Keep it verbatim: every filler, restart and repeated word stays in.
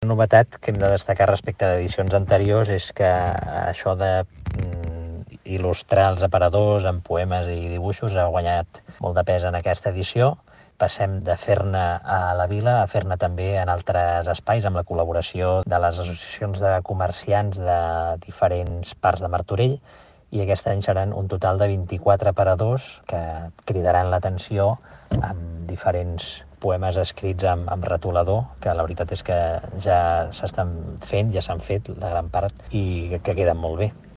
Una novetat que hem de destacar respecte d'edicions anteriors és que això de mm, il·lustrar els aparadors amb poemes i dibuixos ha guanyat molt de pes en aquesta edició. Passem de fer-ne a la vila a fer-ne també en altres espais amb la col·laboració de les associacions de comerciants de diferents parts de Martorell, i aquest any seran un total de vint-i-quatre aparadors que cridaran l'atenció amb diferents poemes escrits amb, amb retolador, que la veritat és que ja s'estan fent, ja s'han fet la gran part, i que queden molt bé.